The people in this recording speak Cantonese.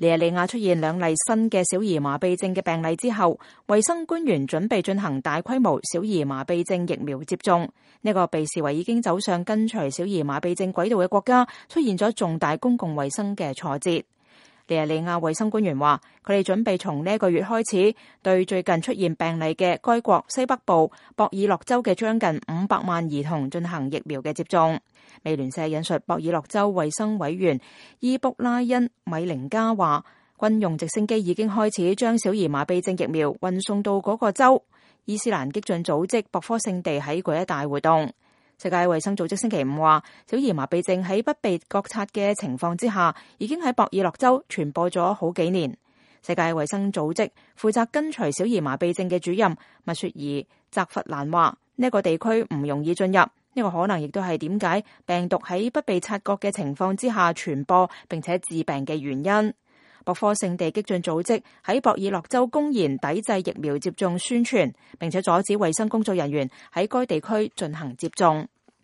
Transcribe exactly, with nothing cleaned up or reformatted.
尼日利亞出現兩例新嘅小兒麻痹症嘅病例之後，衛生官員準備進行大規模小兒麻痹症疫苗接種。呢個被視為已經走上跟隨小兒麻痹症軌道嘅國家，出現咗重大公共衛生嘅挫折。尼日利亞衛生官員話，佢哋準備從呢個月開始，對最近出現病例嘅該國西北部博爾諾州嘅將近五百萬兒童進行疫苗嘅接種。美聯社引述博爾諾州衛生委員伊卜拉恩米寧加話，軍用直升機已經開始將小兒麻痹症疫苗運送到嗰個州。伊斯蘭激進組織博科聖地喺嗰一帶活動。世界衛生組織星期五話，小兒麻痹症喺不被覺察嘅情況之下，已經喺博爾諾州傳播咗好幾年。世界衛生組織負責跟隨小兒麻痹症嘅主任密雪兒澤弗蘭話，呢個地區唔容易進入，呢個可能亦都係點解病毒喺不被察覺嘅情況之下傳播並且致病嘅原因。博科聖地激進組織喺博爾諾州公然抵制疫苗接種宣傳，並且阻止衛生工作人員喺該地區進行接種。